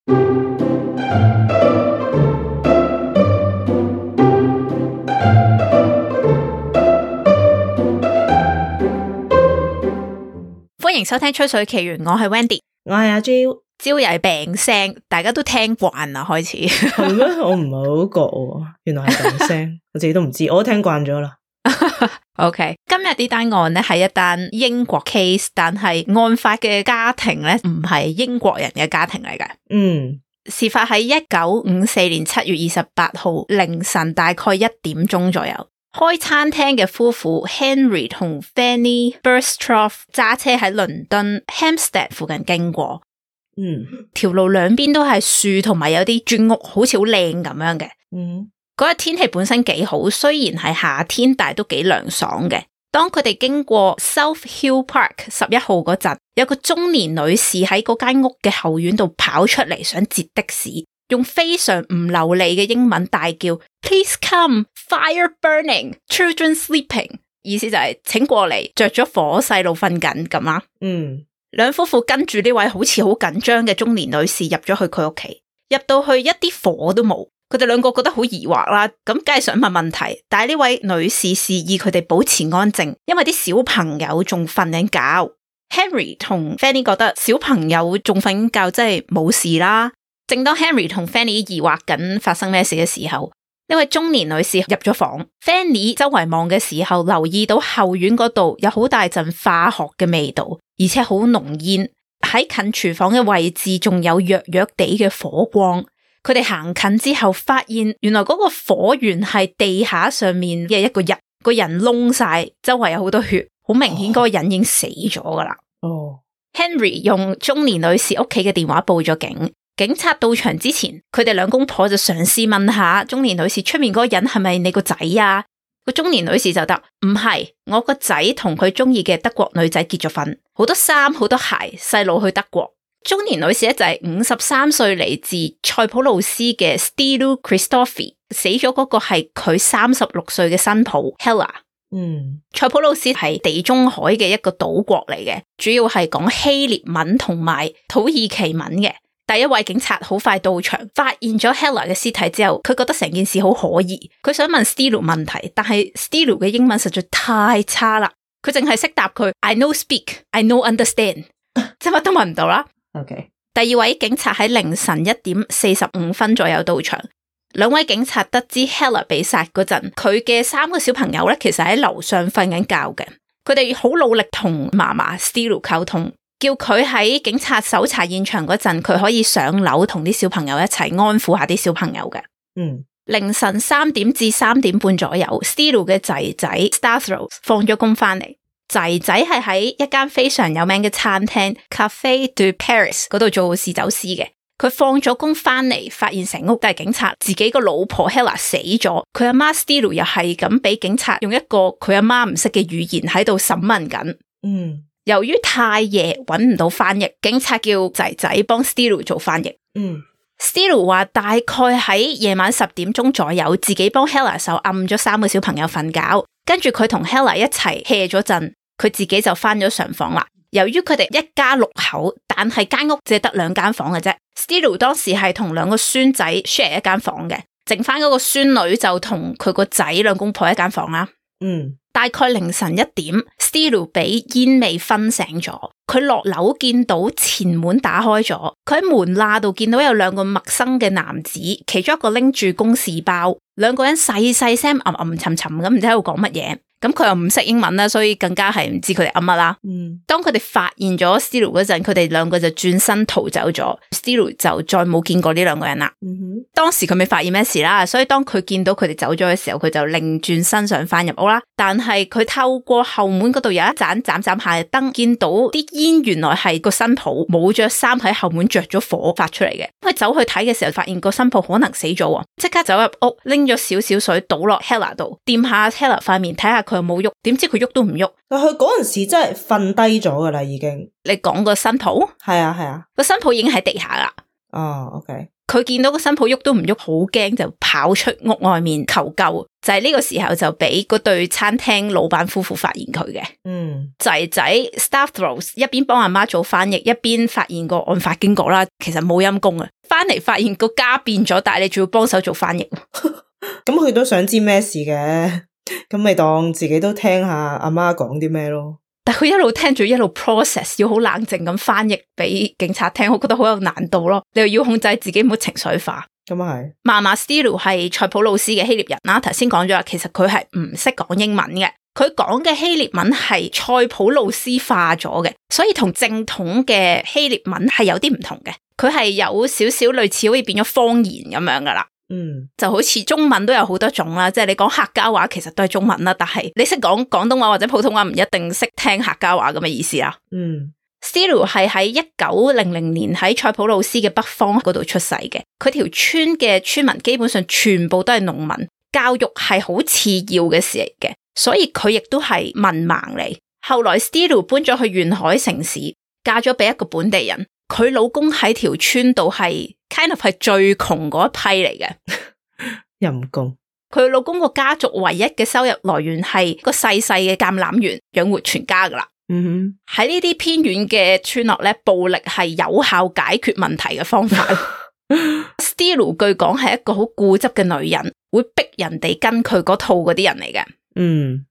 歡迎收聽吹水奇緣，我係 Wendy， 我係阿 Jill， Jill 又係病聲，大家都聽慣啦，開始係咩？我唔係好覺喎，原來係病聲，我自己都唔知，我都聽慣咗啦。OK， 今日呢單案咧係一單英國 case， 但係案發嘅家庭咧唔係英國人嘅家庭嚟嘅。事發喺1954年7月28號凌晨大概1點鐘左右。開餐廳嘅夫婦 Henry 同 Fanny Burstroff 揸車喺倫敦 Hampstead 附近經過，條路兩邊都係樹同埋有啲磚屋，好似好靚咁樣嘅。嗰日天氣本身幾好，雖然係夏天，但係都幾涼爽嘅。當佢哋經過 South Hill Park 11號嗰陣，有個中年女士喺嗰間屋嘅後院度跑出嚟，想截的士。用非常唔流利嘅英文大叫 Please come, fire burning, children sleeping， 意思就係請過嚟，着咗火，細路瞓緊咁啦。兩夫婦跟住呢位好似好緊張嘅中年女士入咗去佢屋企，入到去一啲火都冇，佢哋兩個覺得好疑惑啦，咁梗係想問問題，但係呢位女士示意佢哋保持安靜，因為啲小朋友仲瞓緊覺。Henry 同 Fanny 覺得小朋友仲瞓緊覺，真係冇事啦。正當 Henry 同 Fanny 疑惑緊發生咩事嘅時候，呢位中年女士入咗房。Fanny 周圍望嘅時候，留意到後院嗰度有好大陣化學嘅味道，而且好濃煙。喺近廚房嘅位置仲有弱弱地嘅火光。佢哋行近之後，發現原來嗰個火源係地下上面嘅一個人，個人燶晒，周圍有好多血，好明顯嗰個人已經死咗噶啦。Henry 用中年女士屋企嘅電話報咗警。警察到場之前，佢哋兩公婆就嘗試問下中年女士，出面嗰個人係咪你個仔啊？個中年女士就答唔係，我個仔同佢中意嘅德國女仔結咗婚，好多衫好多鞋，細路去德國。中年女士咧就係53歲嚟自塞浦路斯嘅 Styliou Christofi， 死咗嗰個係佢36歲嘅新抱 Hella。塞浦路斯係地中海嘅一個島國嚟嘅，主要係講希臘文同埋土耳其文嘅。第一位警察好快到場，發現咗 Hella 嘅屍體之後，佢覺得成件事好可疑，佢想問 Styliou 問題，但係 Styliou 嘅英文實在太差啦，佢淨係識答佢 I no speak, I no understand， 即係乜都問唔到啦。第二位警察喺凌晨1點45分左右到場，兩位警察得知 Hella 被殺嗰陣，佢嘅3個小朋友咧其實喺樓上瞓緊覺嘅，佢哋好努力同嫲嫲 Styliou 溝通。叫佢喺警察搜查現場嗰陣，佢可以上樓同啲小朋友一齊安撫下啲小朋友嘅。凌晨3點至3點半左右 Styliou 嘅仔仔 Stathros 放咗工翻嚟，仔仔係喺一間非常有名嘅餐廳 Café de Paris 嗰度做侍酒師嘅。佢放咗工翻嚟，發現成屋都係警察，自己個老婆 Hella 死咗，佢阿媽 Styliou 又係咁俾警察用一個佢阿媽唔識嘅語言喺度審問緊。由於太夜揾唔到翻譯，警察叫仔仔幫 Styliou 做翻譯。Styliou 話大概喺夜晚10點鐘左右，自己幫 Hella 手按咗3個小朋友瞓覺，跟住佢同 Hella 一齊 hea 咗陣，佢自己就翻咗上房啦。由於佢哋一家6口，但係間屋只係得2間房嘅啫。Styliou 當時係同2個孫仔 share 一間房嘅，剩翻嗰個孫女就同佢個仔兩公婆一間房啦。大概凌晨1點 Styliou 俾煙味熏醒咗，佢落樓見到前門打開咗，佢喺門罅度見到有2個陌生嘅男子，其中一個拎住公事包，2個人細細聲沉沉咁，唔知喺度講乜嘢。咁佢又唔識英文啦，所以更加係唔知佢哋噏乜啦。當佢哋發現咗 Styliou 嗰陣，佢哋2個就轉身逃走咗。Styliou 就再冇見過呢2個人啦。當時佢未發現咩事啦，所以當佢見到佢哋走咗嘅時候，佢就擰轉身想翻入屋啦。但係佢透過後門嗰度有一盞斬下嘅燈，見到啲煙原來係個新抱冇着衫喺後門着咗火發出嚟嘅。佢走去睇嘅時候，發現個新抱可能死咗，即刻走入屋拎咗少少水倒落 Hella 度，掂下 Hella 塊面睇下佢有冇喐，點知佢喐都唔喐。但佢嗰陣時真係瞓低咗噶啦，已經。你講個新抱？係啊，個新抱已經喺地下啦。OK。佢見到個新抱喐都唔喐，好驚就跑出屋外面求救，就係呢個時候就俾嗰對餐廳老闆夫婦發現佢嘅。仔仔 Stavros 一邊幫阿媽做翻譯，一邊發現個案發經過啦。其實冇陰功啊，翻嚟發現個家變咗，但係你仲要幫手做翻譯。咁佢都想知咩事嘅，咁咪當自己都聽下阿媽講啲咩咯。但佢一路聽住一路 process， 要好冷靜咁翻譯俾警察聽，我覺得好有難度咯。你又要控制自己唔好情緒化。咁啊係。嫲嫲 Styliou 係塞浦路斯嘅希臘人啦，頭先講咗啦，其實佢係唔識講英文嘅，佢講嘅希臘文係塞浦路斯化咗嘅，所以同正統嘅希臘文係有啲唔同嘅，佢係有少少類似好似變咗方言咁樣噶啦。就好似中文都有好多種啦，即係你講客家話其實都係中文啦，但係你識講廣東話或者普通話唔一定識聽客家話咁嘅意思啦。Styliou 係喺1900年喺塞浦路斯嘅北方嗰度出世嘅，佢條村嘅村民基本上全部都係農民，教育係好次要嘅事嚟嘅，所以佢亦都係文盲嚟。後來 Styliou 搬咗去沿海城市，嫁咗俾一個本地人，佢老公喺條村度係 kind of 係最窮嗰一批嚟嘅，陰公。佢老公個家族唯一嘅收入來源係個細細嘅橄欖園，養活全家噶啦。喺呢啲偏遠嘅村落咧，暴力係有效解決問題嘅方法。Styliou 據講係一個好固執嘅女人，會逼人哋跟佢嗰套嗰啲人嚟嘅。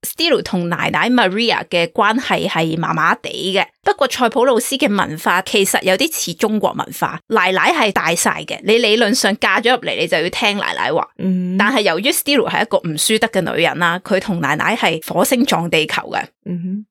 Styliou 同奶奶 Maria 嘅關係係麻麻地嘅，不過塞浦路斯嘅文化其實有啲似中國文化，奶奶係大晒嘅，你理論上嫁咗入嚟，你就要聽奶奶話。但係由於 Styliou 係一個唔輸得嘅女人啦，佢同奶奶係火星撞地球嘅。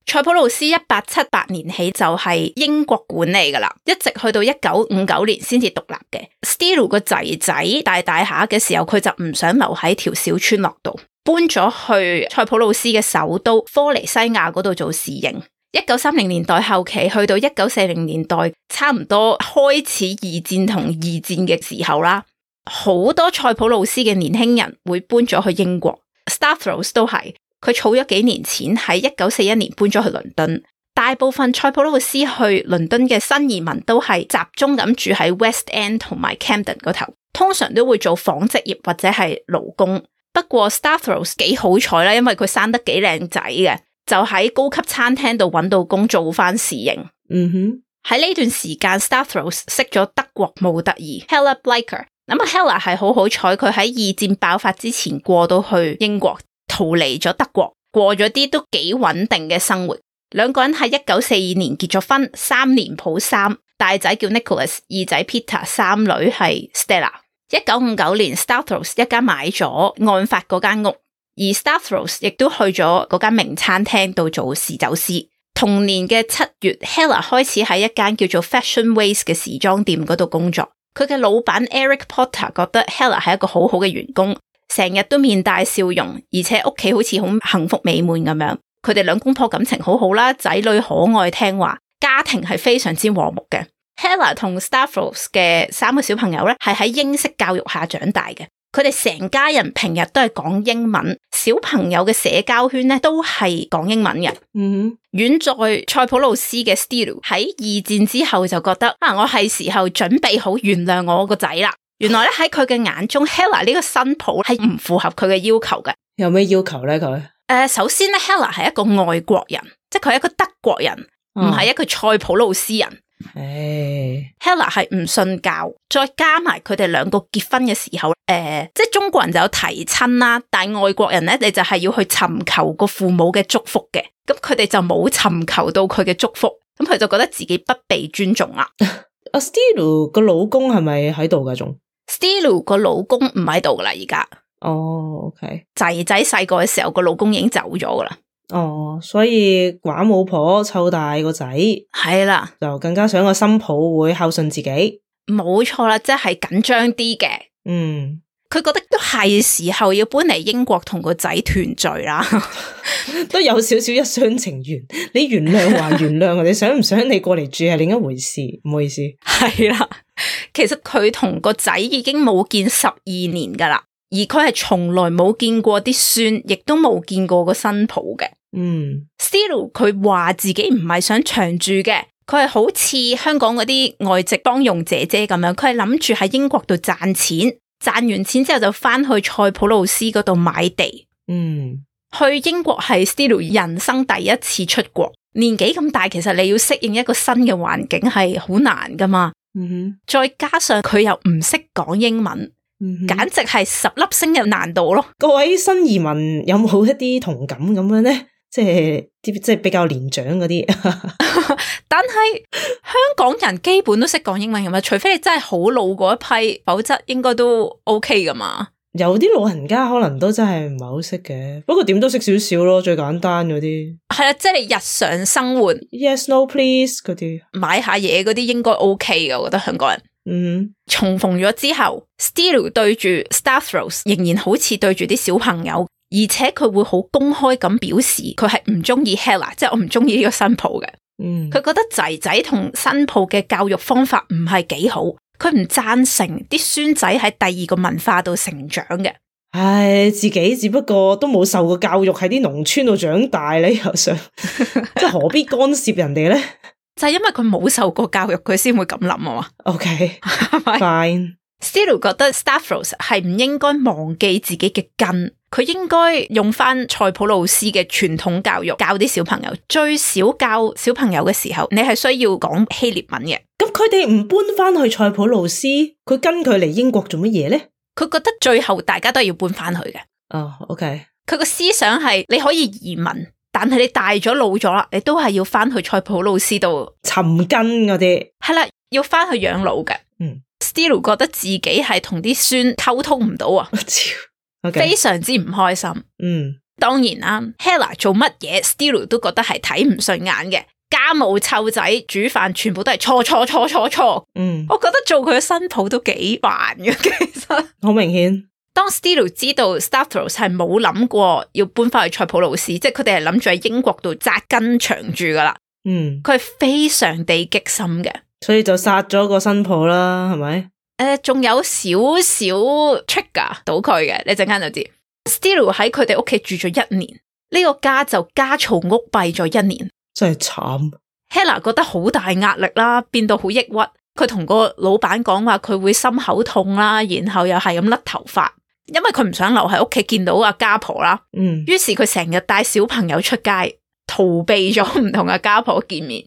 塞浦路斯1878年起就係英國管理噶啦，一直去到1959年先至獨立嘅。Styliou 個仔仔大下嘅時候，佢就唔想留喺條小村落度，搬咗去塞浦路斯嘅首都科尼西亞嗰度做侍應。1930年代後期去到1940年代，差唔多開始二戰同二戰嘅時候啦，好多塞浦路斯嘅年輕人會搬咗去英國。Stavros 都係，佢儲咗幾年錢喺1941年搬咗去倫敦。大部分塞浦路斯去倫敦嘅新移民都係集中咁住喺 West End 同埋 Camden 嗰頭，通常都會做紡織業或者係勞工。不過 Stavros 幾好彩啦，因為佢生得幾靚仔嘅，就喺高級餐廳度揾到工做翻侍應。喺呢段時間 Stavros 識咗德國模特兒 Hella Blecher。咁啊 Hella 係好彩，佢喺二戰爆發之前過到去英國，逃離咗德國，過咗啲都幾穩定嘅生活。兩個人喺1942年結咗婚，3年抱3，大仔叫 Nicholas， 二仔 Peter， 三女係 Stella。1959年 Stavros 一家買咗案發嗰間屋，而 Stavros 亦都去咗嗰間名餐廳度做侍酒師。同年嘅7月 Hella 開始喺一間叫做 Fashion Ways 嘅時裝店嗰度工作。佢嘅老闆 Eric Potter 覺得 Hella 係一個好好嘅員工，成日都面帶笑容，而且屋企好似好幸福美滿咁樣。佢哋兩公婆感情好好啦，仔女可愛聽話，家庭係非常之和睦嘅。Hella 同 Stavros 嘅3個小朋友咧，係喺英式教育下長大嘅。佢哋成家人平日都係講英文，小朋友嘅社交圈咧都係講英文嘅。遠在塞浦路斯嘅 Styliou 喺二戰之後就覺得我係時候準備好原諒我個仔啦。原來咧喺佢嘅眼中 Hella 呢個新抱係唔符合佢嘅要求嘅。有咩要求咧佢？首先咧 Hella 係一個外國人，即係佢係一個德國人，唔係一個塞浦路斯人。Hella 係唔信教，再加埋佢哋兩個結婚嘅時候，即係中國人就有提親啦，但係外國人咧，你就係要去尋求個父母嘅祝福嘅，咁佢哋就冇尋求到佢嘅祝福，咁佢就覺得自己不被尊重啦。阿 Styliou 個老公係咪喺度噶？仲 Styliou 個老公唔喺度噶啦，而家。OK。仔仔細個嘅時候，個老公已經走咗噶啦。所以寡母婆湊大個仔，係啦，就更加想個新抱會孝順自己。冇錯啦，即係緊張啲嘅。佢覺得都係時候要搬嚟英國同個仔團聚啦。都有少少一廂情願，你原諒還原諒，你想唔想你過嚟住係另一回事，唔好意思。係啦，其實佢同個仔已經冇見12年噶啦，而佢係從來冇見過啲孫，亦都冇見過個新抱嘅。Styliou 佢話自己唔係想長住嘅，佢係好似香港嗰啲外籍幫傭姐姐咁樣，佢係諗住喺英國度賺錢，賺完錢之後就翻去塞浦路斯嗰度買地，去英國係 Steele 人生第一次出國，年紀咁大，其實你要適應一個新嘅環境係好難噶嘛。再加上佢又唔識講英文，簡直係10粒星嘅難度咯。各位新移民有冇一啲同感咁樣咧？即係比較年長嗰啲。但係香港人基本都識講英文噶嘛，除非你真係好老嗰一批，否則應該都 OK 噶嘛。有啲老人家可能都真係唔係好識嘅，不過點都識少少咯，最簡單嗰啲。係啦，即係你日常生活 ，yes no please 嗰啲，買下嘢嗰啲應該 OK 嘅，我覺得香港人。重逢咗之後 ，Steele 對住 Stavros 仍然好似對住啲小朋友，而且佢會好公開咁表示佢係唔中意 Hella， 即係我唔中意呢個新抱嘅。佢覺得仔仔同新抱嘅教育方法唔係幾好。佢唔贊成啲孫仔喺第二個文化度成長嘅。唉，自己只不過都冇受過教育，喺啲農村度長大，你又想即係何必干涉人哋咧？就係因為佢冇受過教育，佢先會咁諗啊嘛。OK， fine。Steele 覺得 Stavros 係唔應該忘記自己嘅根，佢應該用翻塞浦路斯嘅傳統教育教啲小朋友。最少教小朋友嘅時候，你係需要講希臘文嘅。咁佢哋唔搬翻去塞浦路斯，佢跟佢嚟英國做乜嘢咧？佢覺得最後大家都係要搬翻去嘅。OK。佢個思想係你可以移民，但係你大咗老咗啦，你都係要翻去塞浦路斯度尋根嗰啲。係啦，要翻去養老嘅。Steele 覺得自己係同啲孫溝通唔到啊，非常之唔開心。當然啦 ，Hella 做乜嘢 ，Steele 都覺得係睇唔順眼嘅。家務湊仔煮飯全部都係錯。我覺得做佢嘅新抱都幾煩嘅，其實好明顯。當 Steele 知道 Stavros 係冇諗過要搬翻去塞浦路斯，即係佢哋係諗住喺英國度紮根長住噶啦。佢係非常地激心嘅。所以就殺咗個新抱啦，係咪？仲有少少 trigger 到佢嘅，你陣間就知。Steele 喺佢哋屋企住咗1年，呢個家就家嘈屋閉咗1年，真係慘。Hella 覺得好大壓力啦，變到好抑鬱。佢同個老闆講話，佢會心口痛啦，然後又係咁甩頭髮，因為佢唔想留喺屋企見到阿家婆啦。於是佢成日帶小朋友出街，逃避咗唔同嘅家婆見面。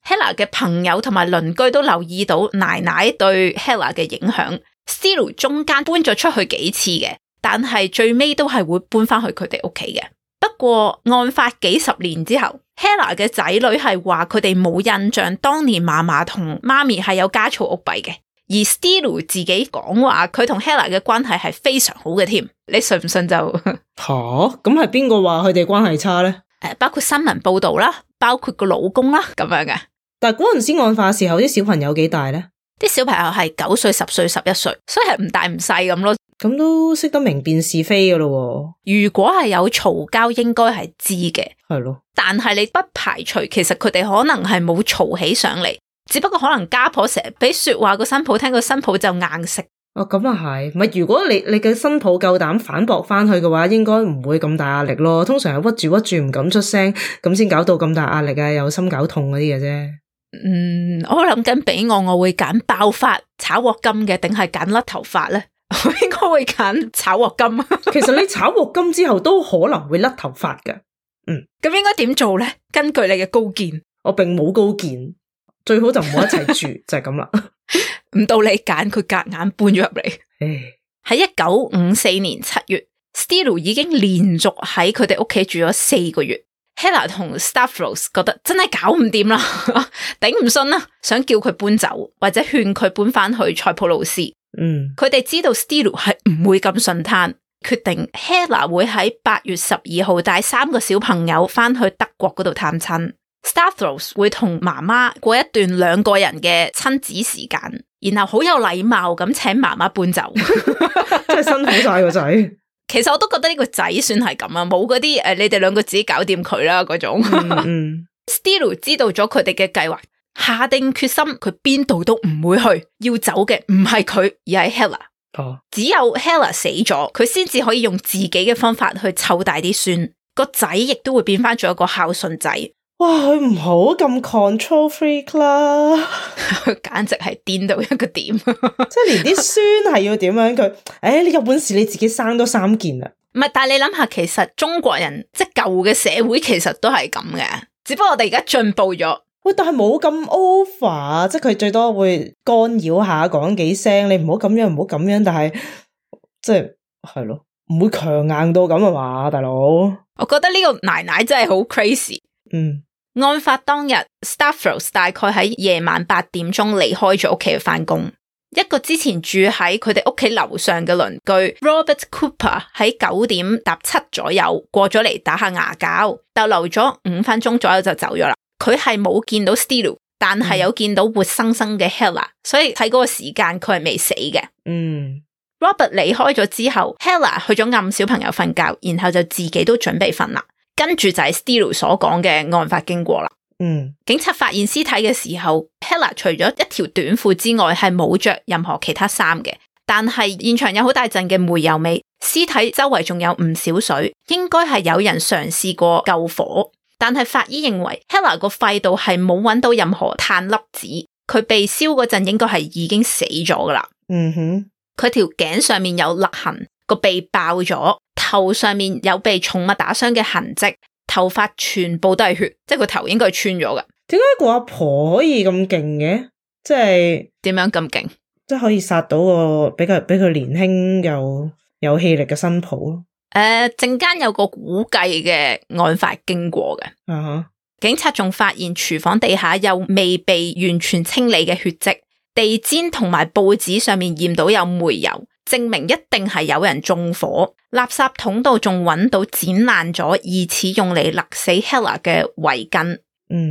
Hella 嘅朋友同埋鄰居都留意到奶奶對 Hella 嘅影響。Steele 中間搬咗出去幾次嘅，但係最尾都係會搬翻去佢哋屋企嘅。不過案發幾十年之後 ，Hella 嘅仔女係話佢哋冇印象當年嫲嫲同媽咪係有家嘈屋閉嘅，而 Steele 自己講話佢同 Hella 嘅關係係非常好嘅添。你信唔信就咁係邊個話佢哋關係差咧？包括新聞報道啦，包括個老公啦咁樣嘅。但係嗰陣時案發時候啲小朋友幾大咧？啲小朋友係9歲、10歲、11歲，所以係唔大唔細咁咯。咁都識得明辨是非噶咯。如果係有嘈交，應該係知嘅。係咯。但係你不排除其實佢哋可能係冇嘈起上嚟，只不過可能家婆成日俾說話個新抱聽，個新抱就硬食。咁啊係，咪如果你嘅新抱夠膽反駁翻去嘅話，應該唔會咁大壓力咯。通常係屈住唔敢出聲，咁先搞到咁大壓力啊，有心搞痛嗰啲嘅啫。我諗緊俾我會揀爆發炒鑊金嘅，定係揀甩頭髮咧？我應該會揀炒鑊金。其實你炒鑊金之後都可能會甩頭髮㗎。咁應該點做咧？根據你嘅高見，我並冇高見，最好就唔好一齊住，就係咁啦。唔到你揀，佢夾硬搬咗入嚟。喺1954年7月 ，Steele 已經連續喺佢哋屋企住咗4個月。Hella 同 Stavros 覺得真係搞唔掂啦，頂唔順啦，想叫佢搬走或者勸佢搬翻去塞浦路斯。佢哋知道 Steele 係唔會咁順攤，決定 Hella 會喺8月12號帶3個小朋友翻去德國嗰度探親。Stavros 會同媽媽過一段2個人嘅親子時間，然後好有禮貌咁請媽媽搬走。真係辛苦晒個仔。其實我都覺得呢個仔算係咁啊，冇嗰啲你哋2個自己搞掂佢啦嗰種。Steele 知道咗佢哋嘅計劃，下定決心佢邊度都唔會去，要走嘅唔係佢，而係 Hella。只有 Hella 死咗，佢先至可以用自己嘅方法去湊大啲孫，個仔亦都會變翻做一個孝順仔。哇，佢唔好咁 control freak 啦，佢簡直係癲到一個點。即係連啲孫係要點樣佢？你有本事你自己生多3件啊！唔係，但係你諗下，其實中國人即係舊嘅社會其實都係咁嘅，只不過我哋而家進步咗。喂，但係冇咁 over， 即係佢最多會干擾下講幾聲，你唔好咁樣，唔好咁樣，但係即係咯，唔會強硬到咁啊嘛，大佬。我覺得呢個奶奶真係好 crazy。案發當日 Stavros 大概喺夜晚8點鐘離開咗屋企去返工。一個之前住喺佢哋屋企樓上嘅鄰居 Robert Cooper 喺9點搭7左右過咗嚟打下牙膠，逗留咗5分鐘左右就走咗啦。佢係冇見到 Stelu， 但係有見到活生生嘅 Hella， 所以喺嗰個時間佢係未死嘅。Robert 離開咗之後 Hella 去咗暗小朋友瞓覺，然後就自己都準備瞓啦。跟住就係 Stelu 所講嘅案發經過啦。警察發現屍體嘅時候 Hella 除咗一條短褲之外係冇着任何其他衫嘅，但係現場有好大陣嘅煤油味，屍體周圍仲有唔少水，應該係有人嘗試過救火。但係法醫認為 Hella 個肺度係冇揾到任何碳粒子，佢被燒嗰陣應該係已經死咗噶啦。佢條頸上面有勒痕，個鼻爆咗，頭上面有被寵物打傷嘅痕跡，頭髮全部都係血，即係個頭應該係穿咗噶。點解個阿婆可以咁勁嘅？即係點樣咁勁？即係可以殺到個比佢年輕又有氣力嘅新抱咯。陣間有個估計嘅案發經過嘅。警察仲發現廚房地下有未被完全清理嘅血跡，地氈同埋報紙上面驗到有煤油，證明一定係有人縱火。垃圾桶度仲揾到剪爛咗疑似用嚟勒死 Hella 嘅圍巾。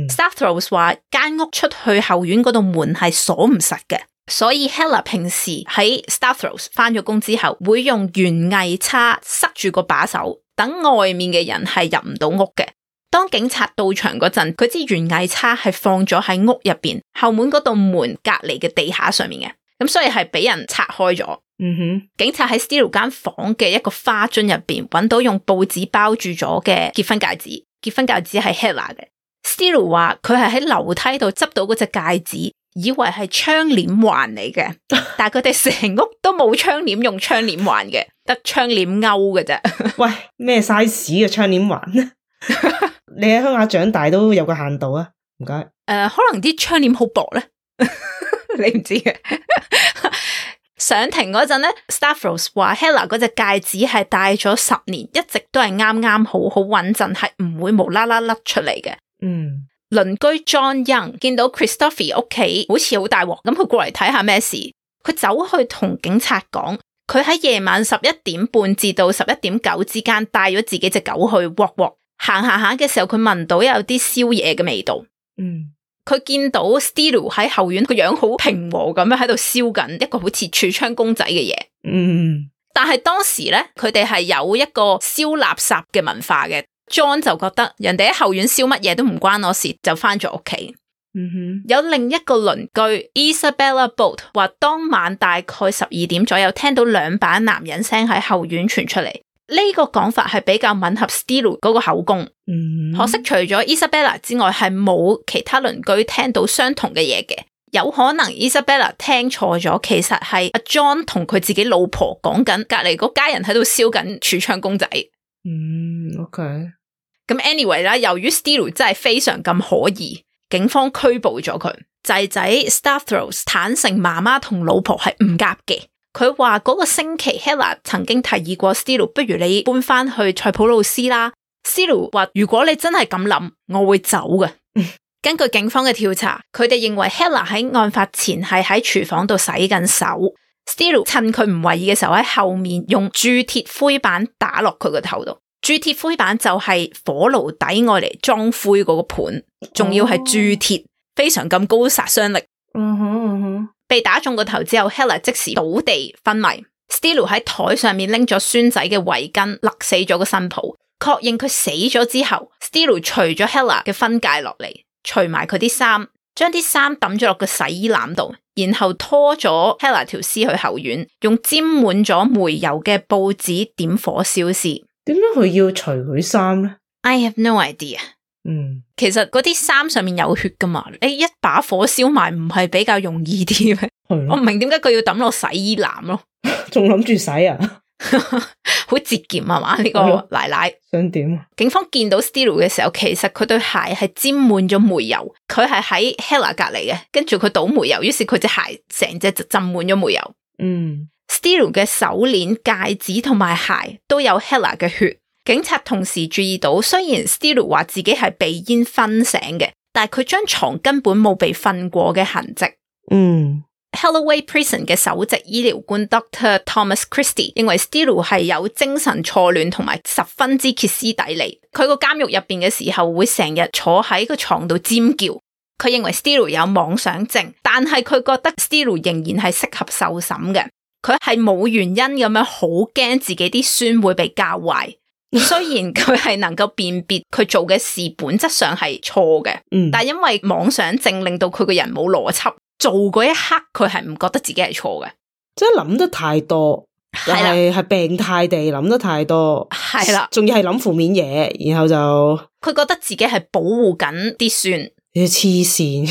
Stavros 話間屋出去後院嗰度門係鎖唔實嘅，所以 Hella 平時喺 Stavros 返咗工之後會用園藝叉塞住個把手，等外面嘅人係入唔到屋嘅。當警察到場嗰陣，佢支園藝叉係放咗喺屋入邊後門嗰道門隔籬嘅地下上面嘅，咁所以係俾人拆開咗。警察喺 Stelu 間房嘅一個花樽入邊揾到用報紙包住咗嘅結婚戒指，結婚戒指係 Hella 嘅。Stelu 話佢係喺樓梯度執到嗰隻戒指，以為係窗簾環嚟嘅，但係佢哋成屋都冇窗簾用窗簾環嘅，得窗簾勾嘅啫。喂，咩 size 嘅窗簾環？你喺鄉下長大都有個限度啊，唔該。可能啲窗簾好薄咧，你唔知嘅。上庭嗰陣咧 Stavros 話 Hella 嗰隻戒指係戴咗10年，一直都係啱啱好穩陣，係唔會無啦啦甩出嚟嘅。鄰居 John Young 見到 Christopher 屋企好似好大鑊，咁佢過嚟睇下咩事，佢走去同警察講，佢喺夜晚11點半至到11點9之間帶咗自己隻狗去 walk， 行下嘅時候佢聞到有啲宵夜嘅味道。佢見到 Stelu 喺後院個樣好平和咁樣喺度燒緊一個好似櫥窗公仔嘅嘢。但係當時咧佢哋係有一個燒垃圾嘅文化嘅。John 就覺得人哋喺後院燒乜嘢都唔關我事，就翻咗屋企。有另一個鄰居 Isabella Bolt 話當晚大概12點左右聽到2把男人聲喺後院傳出嚟，呢個講法係比較吻合 Stelu 嗰個口供。可惜除咗 Isabella 之外係冇其他鄰居聽到相同嘅嘢嘅，有可能 Isabella 聽錯咗，其實係阿 John 同佢自己老婆講緊隔籬嗰家人喺度燒緊櫥窗公仔。OK。咁 anyway 啦，由於 Stelu 真係非常咁可疑，警方拘捕咗佢。仔仔 Stavros 坦承媽媽同老婆係唔夾嘅。佢話嗰個星期 Hella 曾經提議過 Stelu， 不如你搬翻去塞浦路斯啦。Stelu 話如果你真係咁諗，我會走嘅。根據警方嘅調查，佢哋認為 Hella 喺案發前係喺廚房度洗緊手。Stelu 趁佢唔為意嘅時候喺後面用鑄鐵灰板打落佢個頭度。鑄鐵灰板就係火爐底愛嚟裝灰嗰個盤，仲要係鑄鐵，非常咁高殺傷力。被打中個頭之後 Hella 即時倒地昏迷。Stelu 喺台上面拎咗孫仔嘅圍巾勒死咗個新抱。確認佢死咗之後 Stelu 除咗 Hella 嘅婚戒落嚟，除埋佢啲衫，將啲衫抌咗落個洗衣籃度，然後拖咗 Hella 條屍去後院，用沾滿咗煤油嘅報紙點火燒屍。點解佢要除佢衫咧 ？I have no idea。其實嗰啲衫上面有血噶嘛，你一把火燒埋唔係比較容易啲咩？我唔明點解佢要抌落洗衣籃咯，仲諗住洗啊？好節儉啊嘛，呢個奶奶想點啊？警方見到 Steele 嘅時候，其實佢對鞋係沾滿咗煤油，佢係喺 Hella 隔籬嘅，跟住佢倒煤油，於是佢隻鞋成隻就浸滿咗煤油。Steele 嘅手鏈、戒指同埋鞋都有 Hella 嘅血。警察同時注意到，雖然 Steele 話自己係被煙熏醒嘅，但係佢張床根本冇被瞓過嘅痕跡。Holloway Prison 嘅首席醫療官 Dr. Thomas Christie 認為 Steele 係有精神錯亂同埋十分之歇斯底里。佢個監獄入邊嘅時候會成日坐喺個床度尖叫。佢認為 Steele 有妄想症，但係佢覺得 Steele 仍然係適合受審嘅。佢係冇原因咁樣好驚自己啲孫會被教壞。雖然佢係能夠辨別佢做嘅事本質上係錯嘅，但係因為妄想症令到佢個人冇邏輯。做嗰一刻佢係唔覺得自己係錯嘅，即係諗得太多，係病態地諗得太多，係啦，仲要係諗負面嘢，然後就佢覺得自己係保護緊啲孫，你黐線。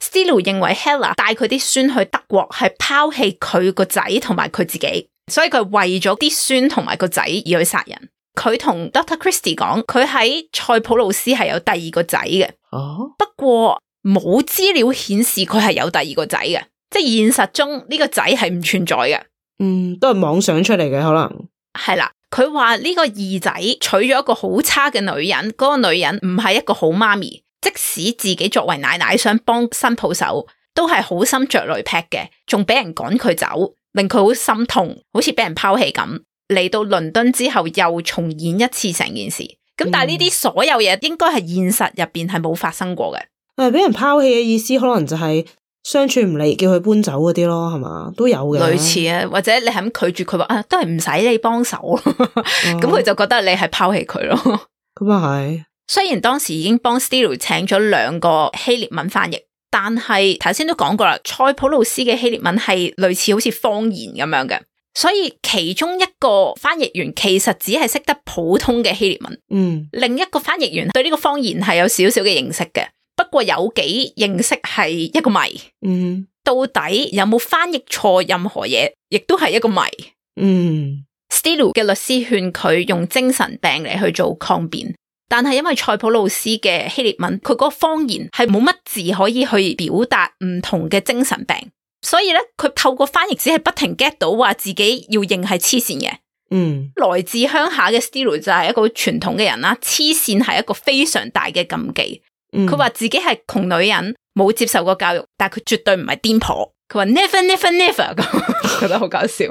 Steele 認為 Hella 帶佢啲孫去德國係拋棄佢個仔同埋佢自己，所以佢為咗啲孫同埋個仔而去殺人。佢同 Dr. Christie 講，佢喺塞浦路斯係有第二個仔嘅，不過冇資料顯示佢係有第二個仔嘅，即係現實中呢個仔係唔存在嘅。都係妄想出嚟嘅，可能係啦。佢話呢個二仔娶咗一個好差嘅女人，嗰個女人唔係一個好媽咪，即使自己作為奶奶想幫新抱手，都係好心着雷劈嘅，仲俾人趕佢走，令佢好心痛，好似俾人拋棄咁。嚟到倫敦之後又重演一次成件事，咁但係呢啲所有嘢應該係現實入邊係冇發生過嘅。俾人拋棄嘅意思可能就係相處唔嚟，叫佢搬走嗰啲咯，係嘛？都有嘅。類似啊，或者你係咁拒絕佢話啊，都係唔使你幫手，咁佢就覺得你係拋棄佢咯。咁啊係。雖然當時已經幫 Steele 請咗2個希臘文翻譯，但係頭先都講過啦，塞浦路斯嘅希臘文係類似好似方言咁樣嘅。所以其中一個翻譯員其實只係識得普通嘅希臘文，另一個翻譯員對呢個方言係有少少嘅認識嘅，不過有幾認識係一個謎，到底有冇翻譯錯任何嘢，亦都係一個謎。Steele 嘅律師勸佢用精神病嚟去做抗辯，但係因為塞浦路斯嘅希臘文，佢嗰個方言係冇乜字可以去表達唔同嘅精神病。所以咧，佢透過翻譯只係不停 get 到話自己要認係黐線嘅。來自鄉下嘅 Steele 就係一個傳統嘅人啦，黐線係一個非常大嘅禁忌。佢話自己係窮女人，冇接受過教育，但係佢絕對唔係癲婆。佢話 never 咁，覺得好搞笑。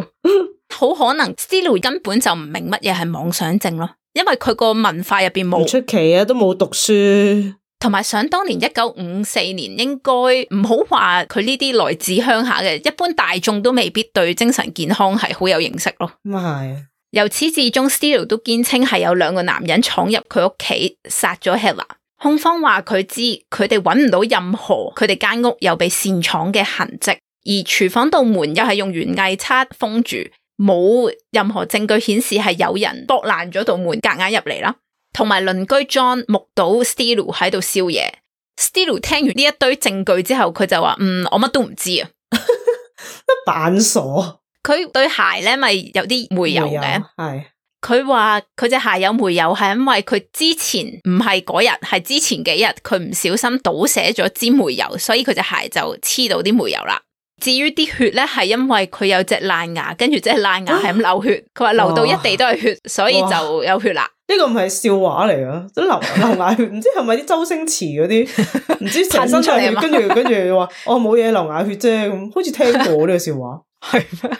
好可能 Steele 根本就唔明乜嘢係妄想症咯，因為佢個文化入邊冇。唔出奇啊，都冇讀書。同埋想當年1954年，應該唔好話佢呢啲來自鄉下嘅，一般大眾都未必對精神健康係好有認識咯。咁係。由始至終 Steele 都堅稱係有2個男人闖入佢屋企殺咗 Hella。控方話佢知佢哋揾唔到任何佢哋間屋有被擅闖嘅痕跡，而廚房道門又係用園藝叉封住，冇任何證據顯示係有人剝爛咗道門夾硬入嚟啦。同埋鄰居 John 目睹 Steele 喺度燒嘢。Steele 聽完呢一堆證據之後，佢就話我乜都唔知啊，扮傻。佢對鞋咧咪有啲煤油嘅，係。佢話佢隻鞋有煤油係因為佢之前唔係嗰日，係之前幾日佢唔小心倒瀉咗支煤油，所以佢隻鞋就黐到啲煤油啦。至於啲血咧，係因為佢有隻爛牙，跟住隻爛牙係咁流血，佢話流到一地都係血，所以就有血啦。呢個唔係笑話嚟噶，即流牙血，唔知係咪啲周星馳嗰啲，唔知成身出血，跟住話冇嘢流牙血啫，咁好似聽過呢個笑話，係咩？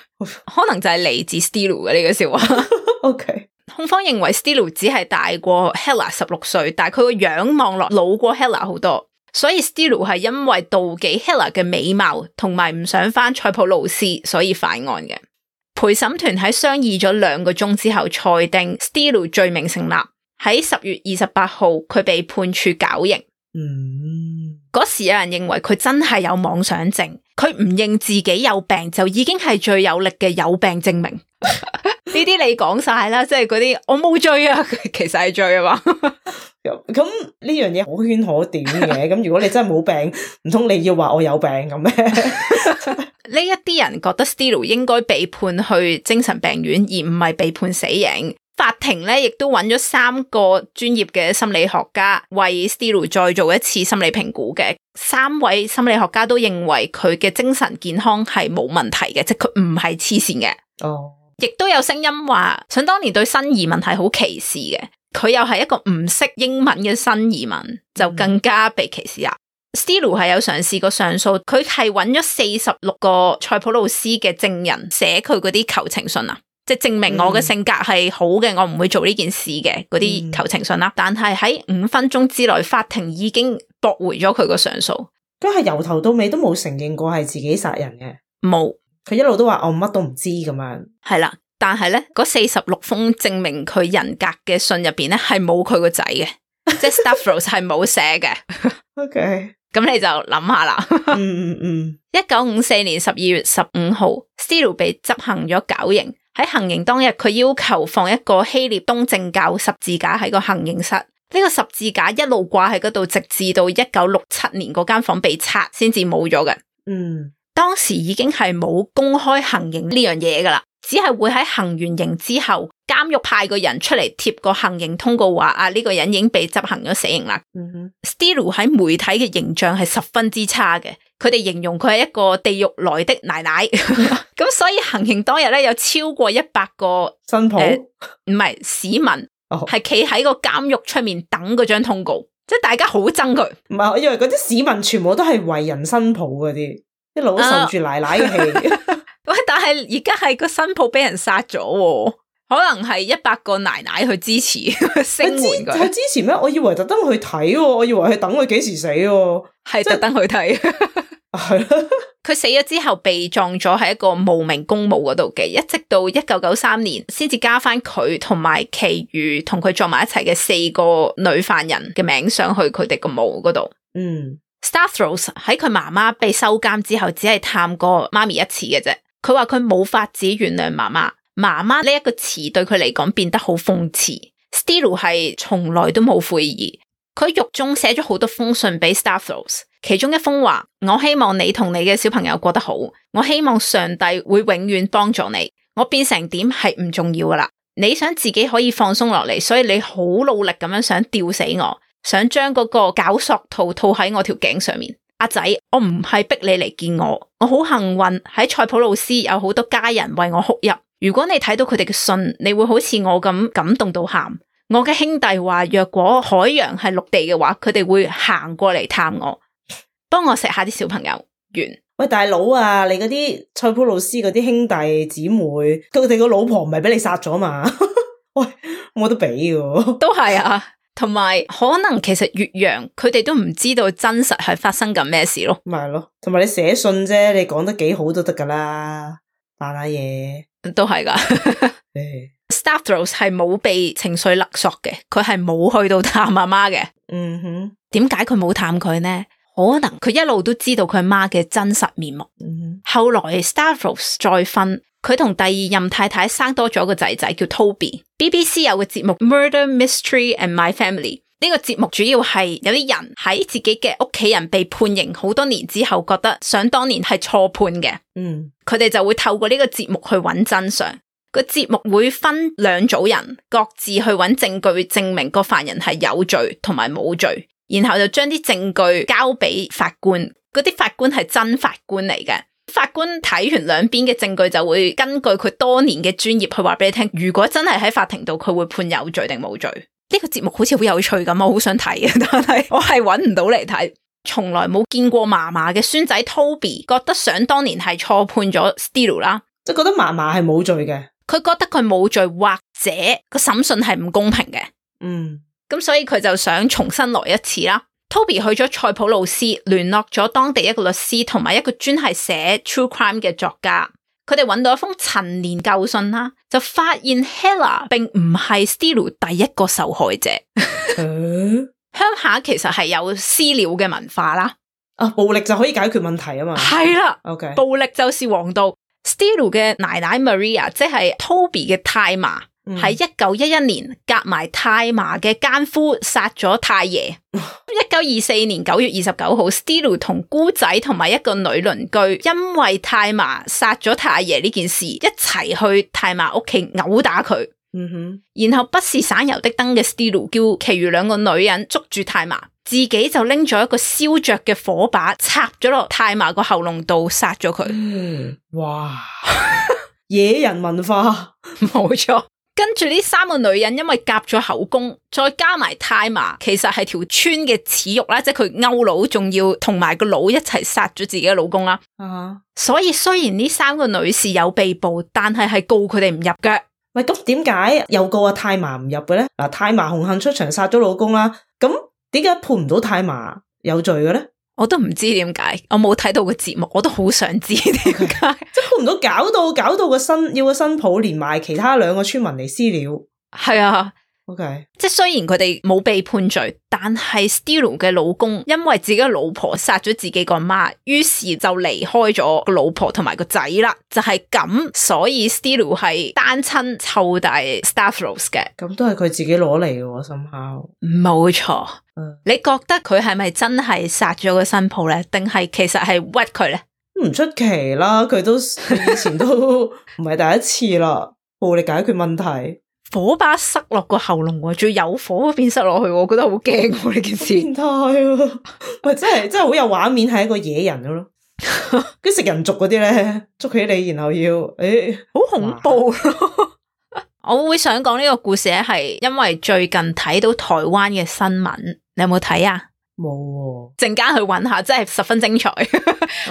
可能就係嚟自 Steele 嘅呢個笑話。OK， 控方認為 Steele 只係大過 Hella 16歲，但係佢個樣望落老過 Hella 好多，所以 Steele 係因為妒忌 Hella 嘅美貌，同埋唔想返塞浦路斯，所以犯案嘅。陪審團喺商議咗2個鐘之後，裁定 Steele 罪名成立。喺10月28號，佢被判處絞刑。嗰時有人認為佢真係有妄想症，佢唔認自己有病就已經係最有力嘅有病證明。呢啲你講晒啦，即係嗰啲我冇罪啊，其實係罪啊嘛。咁呢樣嘢可圈可點嘅。咁如果你真係冇病，唔通你要話我有病咁咩？呢一啲人覺得 Stilo 應該被判去精神病院，而唔係被判死刑。法庭咧亦都揾咗3個專業嘅心理學家為 Stilo 再做一次心理評估嘅。3位心理學家都認為佢嘅精神健康係冇問題嘅，即係佢唔係黐線嘅。哦，亦都有聲音話，想當年對新移民係好歧視嘅，佢又係一個唔識英文嘅新移民，就更加被歧視啦。Stilo 係有嘗試過上訴，佢係揾咗46個塞浦路斯嘅證人寫佢嗰啲求情信啊，即係證明我嘅性格係好嘅，我唔會做呢件事嘅嗰啲求情信啦。但係喺5分鐘之內，法庭已經駁回咗佢個上訴。佢係由頭到尾都冇承認過係自己殺人嘅，冇，佢一路都話我乜都唔知咁樣。係啦，但係咧嗰46封證明佢人格嘅信入邊咧係冇佢個仔嘅，即係 Stavros 係冇寫嘅。OK。咁你就諗下啦。1954年12月15號 Stilo 被執行咗絞刑。喺行刑當日，佢要求放一個希臘東正教十字架喺個行刑室。呢個十字架一路掛喺嗰度，直至到1967年嗰間房被拆，先至冇咗嘅。當時已經係冇公開行刑呢樣嘢噶啦，只係會喺行完刑之後，監獄派個人出嚟貼個行刑通告話呢個人已經被執行咗死刑啦。Stilo 喺媒體嘅形象係十分之差嘅，佢哋形容佢係一個地獄來的奶奶。咁所以行刑當日咧，有超過100個新抱唔係市民係企喺個監獄出面等嗰張通告，即係大家好憎佢。唔係，我以為嗰啲市民全部都係為人新抱嗰啲，一路受住奶奶嘅氣。喂，但係而家係個新抱俾人殺咗，可能係100個奶奶去支持聲援佢。係支持咩？我以為特登去睇，我以為係等佢幾時死，係特登去睇。係啦，佢死咗之後被葬咗喺一個無名公墓嗰度嘅，一直到1993年先至加翻佢同埋其餘同佢葬埋一齊嘅4個女犯人嘅名上去佢哋個墓嗰度。Stavros 喺佢媽媽被收監之後，只係探過媽咪一次嘅啫。佢話佢冇法子原諒媽媽，媽媽呢一個詞對佢嚟講變得好諷刺。Stilo 係從來都冇悔意，佢獄中寫咗好多封信俾 Stavros， 其中一封話：我希望你同你嘅小朋友過得好，我希望上帝會永遠幫助你，我變成點係唔重要噶啦，你想自己可以放鬆落嚟，所以你好努力咁樣想吊死我，想將嗰個絞索套套喺我條頸上面。阿仔，我唔係逼你嚟見我，我好幸運喺塞浦路斯有好多家人為我哭泣。如果你睇到佢哋嘅信，你會好似我咁感動到喊。我嘅兄弟話，若果海洋係陸地嘅話，佢哋會行過嚟探我，幫我錫下啲小朋友。完。喂，大佬啊，你嗰啲塞浦路斯嗰啲兄弟姊妹，佢哋個老婆唔係俾你殺咗嘛？喂，冇得比嘅。都係啊。同埋可能其實越洋佢哋都唔知道真實係發生緊咩事咯，咪係咯，同埋你寫信啫，你講得幾好都得噶啦，扮下嘢都係噶。Stavros 係冇被情緒勒索嘅，佢係冇去到探阿媽嘅。點解佢冇探佢呢？可能佢一路都知道佢媽嘅真實面目。後來 Stavros 再婚，佢同第二任太太生多咗個仔仔叫 Toby。BBC 有個節目 Murder Mystery and My Family， 呢個節目主要係有啲人喺自己嘅屋企人被判刑好多年之後，覺得想當年係錯判嘅。佢哋就會透過呢個節目去揾真相。個節目會分2組人，各自去揾證據證明個犯人係有罪同埋冇罪，然後就將啲證據交俾法官。嗰啲法官係真法官嚟嘅。法官睇完兩邊嘅證據，就會根據佢多年嘅專業去話俾你聽，如果真係喺法庭度，佢會判有罪定冇罪。呢個節目好似好有趣咁，我好想睇嘅，但係我係搵唔到嚟睇。從來冇見過嫲嫲嘅孫仔 Toby 覺得想當年係錯判咗 Stilo 啦，即係覺得嫲嫲係冇罪嘅，佢覺得佢冇罪，或者個審訊係唔公平嘅。咁所以佢就想重新來一次啦。Toby 去咗塞浦路斯，聯絡咗當地一個律師同埋一個專係寫 true crime 嘅作家，佢哋揾到一封陳年舊信啦，就發現 Hella 並唔係 Stilo 第一個受害者。鄉下其實係有私了嘅文化啦，暴力就可以解決問題啊嘛。係啦，OK，暴力就是王道。Stilo 嘅奶奶 Maria 即係 Toby 嘅太嫲，喺1911年夾埋太嫲嘅奸夫殺咗太爺。1924年9月29號 Stelu 同姑仔同埋一個女鄰居因為太嫲殺咗太爺呢件事一齊去太嫲屋企毆打佢。然後不是省油的燈嘅 Stelu 叫其餘兩個女人捉住太嫲，自己就拎咗一個燒着嘅火把插咗落太嫲個喉嚨度殺咗佢。哇！野人文化，冇錯。跟住呢3個女人因為夾咗口供，再加埋太嫲其實係條村嘅恥辱啦，即係佢勾佬，仲要同埋個佬一齊殺咗自己嘅老公啦。所以雖然呢3個女士有被捕，但係告佢哋唔入嘅。喂，咁點解又告阿太嫲唔入嘅咧？嗱，太嫲紅杏出牆殺咗老公啦，咁點解判唔到太嫲有罪嘅咧？我都唔知點解，我冇睇到個節目，我都好想知點解。即係判唔到，搞到個新抱連埋其他2個村民嚟私了。係啊。OK， 即係雖然佢哋冇被判罪，但係 Stelu 嘅老公因為自己嘅老婆殺咗自己個媽，於是就離開咗個老婆同埋個仔啦。就係咁，所以 Stelu 係單親湊大 Stavros 嘅。咁都係佢自己攞嚟嘅，somehow。冇錯。你覺得佢係咪真係殺咗個新抱咧？定係其實係屈佢咧？唔出奇啦，佢以前都唔係第一次啦，暴力解決問題。火把塞落個喉嚨，仲有火邊塞落去，我覺得好驚呢件事。變態啊！喂，真係好有畫面，係一個野人咯。跟食人族嗰啲咧，捉起你然後要好恐怖咯。我會想講呢個故事咧，係因為最近睇到台灣嘅新聞，你有冇睇啊？冇，陣間去揾下，真係十分精彩。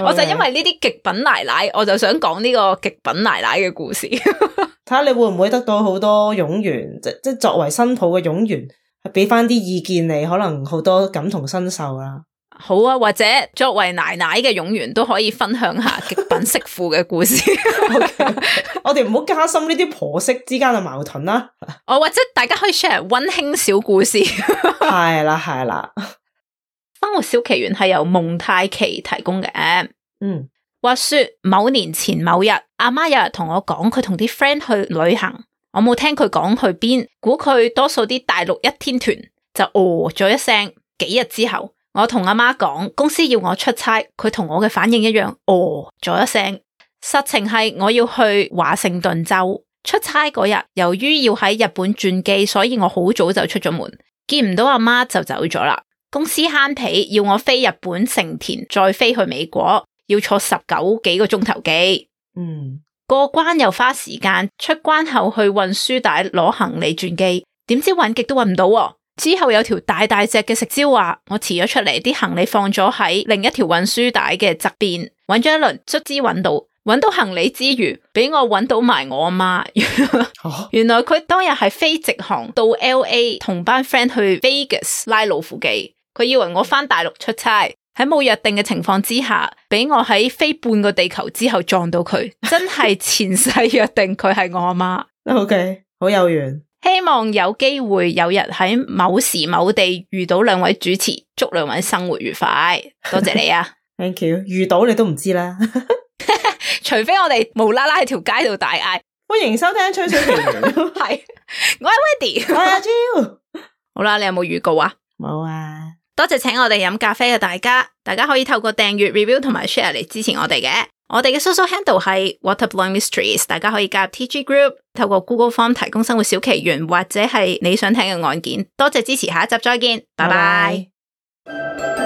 我就因為呢啲極品奶奶，我就想講呢個極品奶奶嘅故事。睇下你會唔會得到好多擁員，即作為新抱嘅擁員，係俾翻啲意見你，可能好多感同身受啦。好啊，或者作為奶奶嘅擁員都可以分享下極品媳婦嘅故事。Okay. 我哋唔好加深呢啲婆媳之間嘅矛盾啦。或者大家可以 share 溫馨小故事。係啦。生活小奇懸係由蒙太奇提供嘅。話說某年前某日，阿媽有日同我講佢同啲 friend 去旅行，我冇聽佢講去邊，估佢多數啲大陸1天團，就咗一聲。幾日之後，我同阿媽講公司要我出差，佢同我嘅反應一樣，咗一聲。實情係我要去華盛頓州出差嗰日，由於要喺日本轉機，所以我好早就出咗門，見唔到阿媽就走咗啦。公司慳皮，要我飛日本成田，再飛去美國，要坐19幾個鐘頭機。過關又花時間，出關後去運輸帶攞行李轉機，點知搵極都搵唔到。之後有條大隻嘅食蕉話，我遲咗出嚟，啲行李放咗喺另一條運輸帶嘅側邊，搵咗一輪，卒之搵到行李之餘，俾我搵到埋我阿媽。原來佢當日係飛直航到 LA 同班 friend 去 Vegas 拉老虎機，佢以為我返大陸出差，喺冇約定嘅情況之下，俾我喺飛半個地球之後撞到佢，真係前世約定佢係我阿媽。OK， 好有緣。希望有機會有日喺某時某地遇到2位主持，祝2位生活愉快。多謝你啊。Thank you。遇到你都唔知啦。除非我哋無啦啦喺條街度大嗌，歡迎收聽吹水奇緣。係，我係 Wendy， 我係阿 Jill。好啦，你有冇預告啊？冇啊。多謝請我哋飲咖啡嘅大家可以透過訂閱、review 同埋 share 嚟支持我哋嘅。我哋嘅 social handle 係 Waterblowing Mysteries， 大家可以加入 TG Group， 透過 Google Form 提供生活小奇懸或者係你想聽嘅案件。多謝支持，下一集再見，拜拜。